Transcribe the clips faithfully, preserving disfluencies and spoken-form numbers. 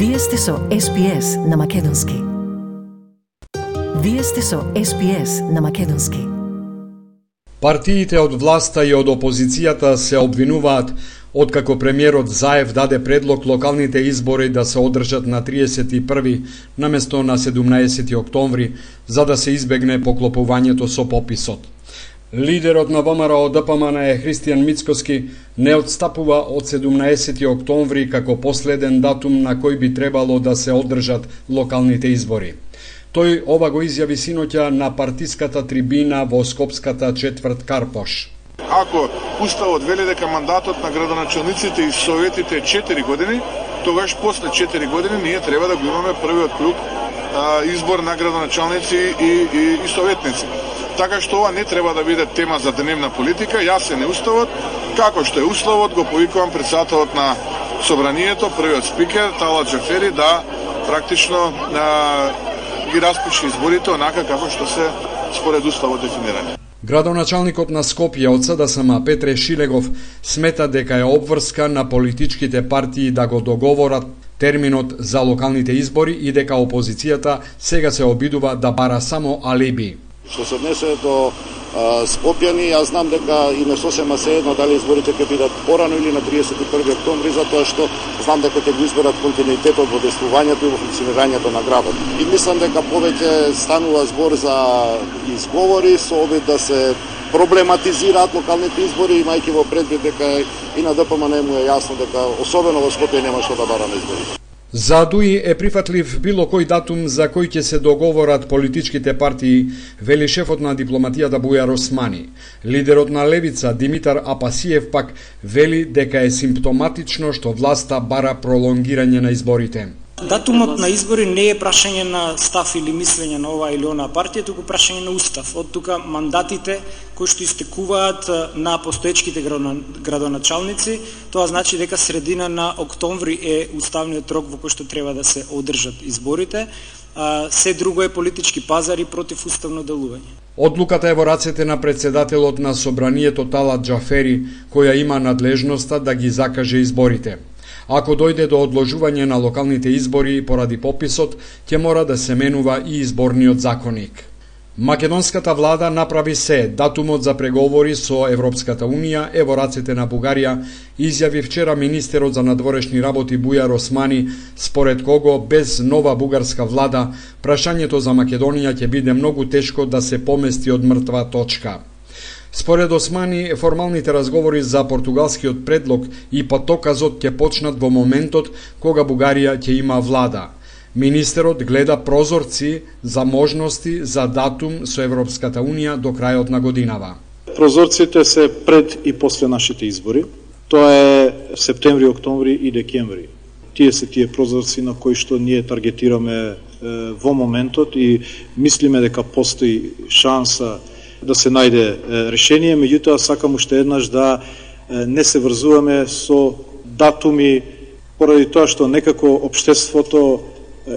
Вие сте со Ес Би Ес на Македонски. Вие сте со Ес Би Ес на Македонски. Партиите од власта и од опозицијата се обвинуваат откако премиерот Заев даде предлог локалните избори да се одржат на триесет и први наместо на седумнаесети октомври, за да се избегне поклопувањето со пописот. Лидерот на Во Ем Ар О Д П М Н е Христијан Мицкоски не отстапува од седумнаесети октомври како последен датум на кој би требало да се одржат локалните избори. Тој ова го изјави синоќа на партиската трибина во Скопската четврт Карпош. Ако Уставот вели дека мандатот на градоначалниците и советите е четири години, тогаш после четири години ние треба да го имаме првиот круг а, избор на градоначалници и, и, и советници. Така што ова не треба да биде тема за дневна политика, јасен е Уставот, како што е Уставот, го повикувам председателот на Собранието, првиот спикер, Талат Џафери, да практично а, ги распише изборите онака како што се според Уставот дефинирани. Градоначалникот на Скопје од С Д С М Петре Шилегов смета дека е обврска на политичките партии да го договорат терминот за локалните избори и дека опозицијата сега се обидува да бара само алиби. Што се однесе до а, Скопјани, јас знам дека и не сосема се едно дали изборите ќе бидат порано или на триесет и први октомври, затоа што знам дека ќе го изберат континуитетот во действувањето и во функционирањето на градот. И мислам дека повеќе станува збор за изговори со обид да се проблематизираат локалните избори, имајќи во предвид дека и на Д П М Н му е јасно дека особено во Скопје нема што да бара на изборите. За ДУИ е прифатлив било кој датум за кој ќе се договорат политичките партии, вели шефот на дипломатијата Бујар Османи. Лидерот на Левица Димитар Апасиев пак вели дека е симптоматично што власта бара пролонгирање на изборите. Датумот на избори не е прашање на став или мислење на ова или она партија, туку прашање на устав. Од тука мандатите кои што истекуваат на постоечките градоначалници, тоа значи дека средина на октомври е уставниот рок во кој што треба да се одржат изборите. Се друго е политички пазар и противуставно делување. Одлуката е во рацете на председателот на Собранието Талат Џафери, која има надлежноста да ги закаже изборите. Ако дојде до одложување на локалните избори поради пописот, ќе мора да се менува и изборниот законник. Македонската влада направи се, датумот за преговори со Европската Унија е во рацете на Бугарија, изјави вчера министерот за надворешни работи Бујар Османи, според кого без нова бугарска влада, прашањето за Македонија ќе биде многу тешко да се помести од мртва точка. Според Османи, формалните разговори за португалскиот предлог и патоказот ќе почнат во моментот кога Бугарија ќе има влада. Министерот гледа прозорци за можности за датум со Европската Унија до крајот на годинава. Прозорците се пред и после нашите избори. Тоа е септември, октомври и декември. Тие се тие прозорци на кои што ние таргетираме е, во моментот и мислиме дека постои шанса да се најде решение, меѓутоа сакам уште еднаш да не се врзуваме со датуми поради тоа што некако општеството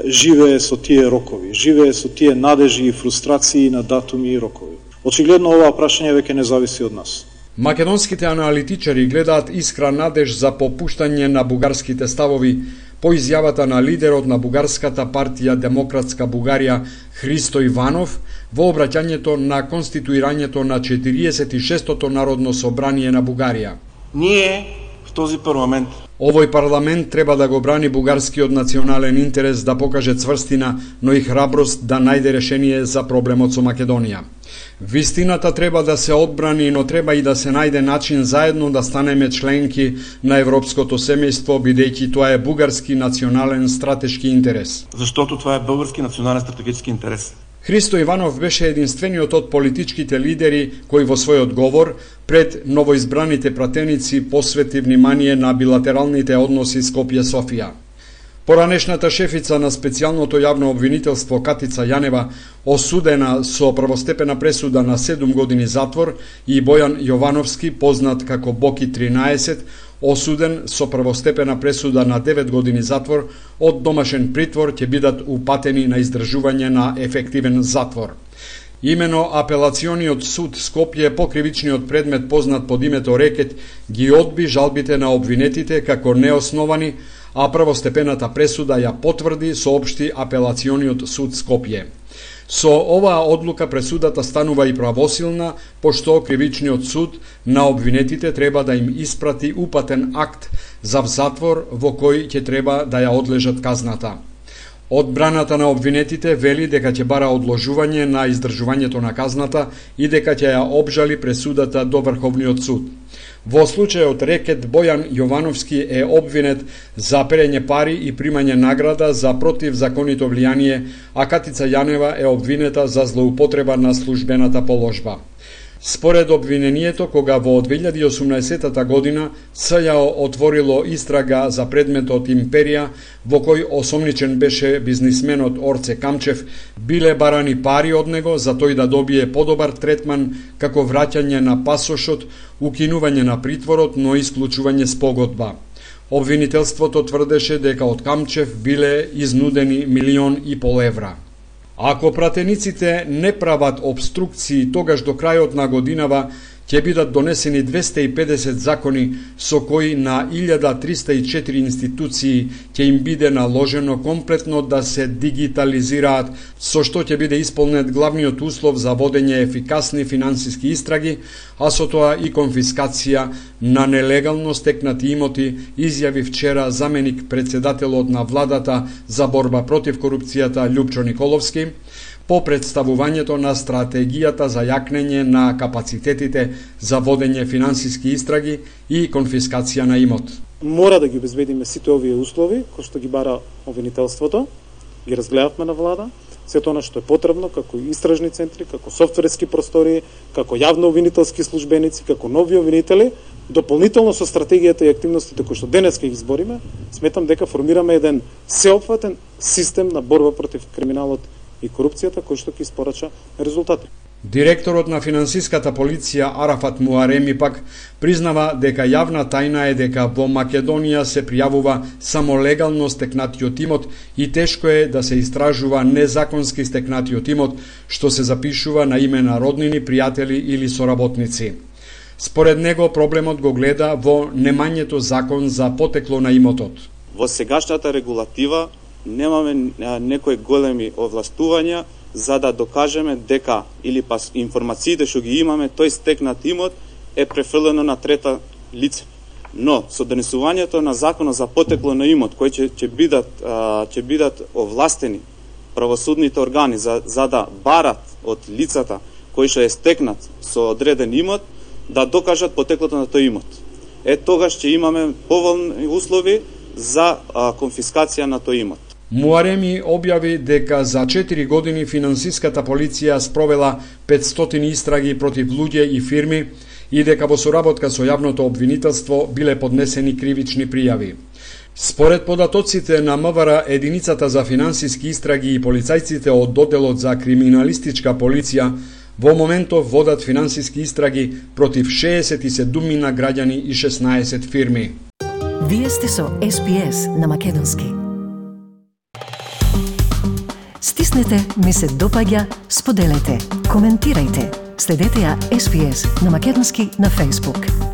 живее со тие рокови, живее со тие надежи и фрустрации на датуми и рокови. Очигледно ова прашање веќе не зависи од нас. Македонските аналитичари гледаат искра надеж за попуштање на бугарските ставови по изјавата на лидерот на бугарската партија Демократска Бугарија Христо Иванов во обраќањето на конституирањето на четириесет и шестото Народно собрание на Бугарија. Ние в този парламент Овој парламент треба да го брани бугарскиот национален интерес, да покаже цврстина, но и храброст да најде решение за проблемот со Македонија. Вистината треба да се одбрани, но треба и да се најде начин заедно да станеме членки на европското семејство, бидејќи тоа е бугарски национален стратешки интерес. Заштото тоа е български национален стратегически интерес. Христо Иванов беше единствениот од политичките лидери кој во својот говор пред новоизбраните пратеници посвети внимание на билатералните односи Скопје-Софија. Поранешната шефица на специјалното јавно обвинителство Катица Јанева, осудена со првостепена пресуда на седум години затвор, и Бојан Јовановски, познат како Боки тринаесет, осуден со првостепена пресуда на девет години затвор, од домашен притвор ќе бидат упатени на издржување на ефективен затвор. Имено апелациониот суд Скопје по кривичниот предмет познат под името Рекет ги одби жалбите на обвинетите како неосновани, а првостепената пресуда ја потврди, соопшти апелациониот суд Скопје. Со оваа одлука пресудата станува и правосилна, пошто кривичниот суд на обвинетите треба да им испрати упатен акт за затвор во кој ќе треба да ја одлежат казната. Одбраната на обвинетите вели дека ќе бара одложување на издржувањето на казната и дека ќе ја обжали пресудата до Врховниот суд. Во случајот рекет Бојан Јовановски е обвинет за перење пари и примање награда за противзаконито влијание, а Катица Јанева е обвинета за злоупотреба на службената положба. Според обвинението, кога во две илјади и осумнаесетата година СЈО отворило истрага за предметот Империја, во кој осомничен беше бизнисменот Орце Камчев, биле барани пари од него за тој да добие подобар третман, како враќање на пасошот, укинување на притворот, но исклучување спогодба. Обвинителството тврдеше дека од Камчев биле изнудени милион и пол евра. Ако пратениците не прават обструкции, тогаш до крајот на годинава ќе бидат донесени двесте и педесет закони со кои на илјада триста и четири институции ќе им биде наложено комплетно да се дигитализираат, со што ќе биде исполнет главниот услов за водење ефикасни финансиски истраги, а со тоа и конфискација на нелегално стекнати имоти, изјави вчера заменик председателот на владата за борба против корупцијата Љупчо Николовски, по представувањето на стратегијата за јакнење на капацитетите за водење финансиски истраги и конфискација на имот. Мора да ги обезбедиме сите овие услови, кои што ги бара обвинителството, ги разгледавме на влада, сето она што е потребно, како истражни центри, како софтверски простори, како јавно обвинителски службеници, како нови обвинители, дополнително со стратегијата и активностите кои што денес ќе ги избориме, сметам дека формираме еден сеопфатен систем на борба против криминалот и корупцијата, кој што ќе испорача резултати. Директорот на финансиската полиција Арафат Муареми пак признава дека јавна тајна е дека во Македонија се пријавува само легално стекнатиот имот и тешко е да се истражува незаконски стекнатиот имот, што се запишува на име на роднини, пријатели или соработници. Според него проблемот го гледа во немањето закон за потекло на имотот. Во сегашната регулатива немаме некои големи овластувања за да докажеме дека или па информациите што ги имаме, тој стекнат имот е префрлено на трета лице. Но со донесувањето на законот за потекло на имот, кој ќе ќе бидат ќе бидат овластени правосудните органи за за да барат од лицата кои што е стекнат со одреден имот да докажат потеклото на тој имот. Е тогаш ќе имаме поволни услови за а, конфискација на тој имот. Муареми објави дека за четири години финансиската полиција спровела петстотини истраги против луѓе и фирми и дека во соработка со јавното обвинителство биле поднесени кривични пријави. Според податоците на МВР, единицата за финансиски истраги и полицајците од доделот за криминалистичка полиција во моментов водат финансиски истраги против шеесет и седум граѓани и шеснаесет фирми. Вие сте со Ес Би Ес на Македонски. Стиснете, ми се допаѓа, споделете, коментирајте. Следете ја Ес Би Ес на Македонски на Facebook.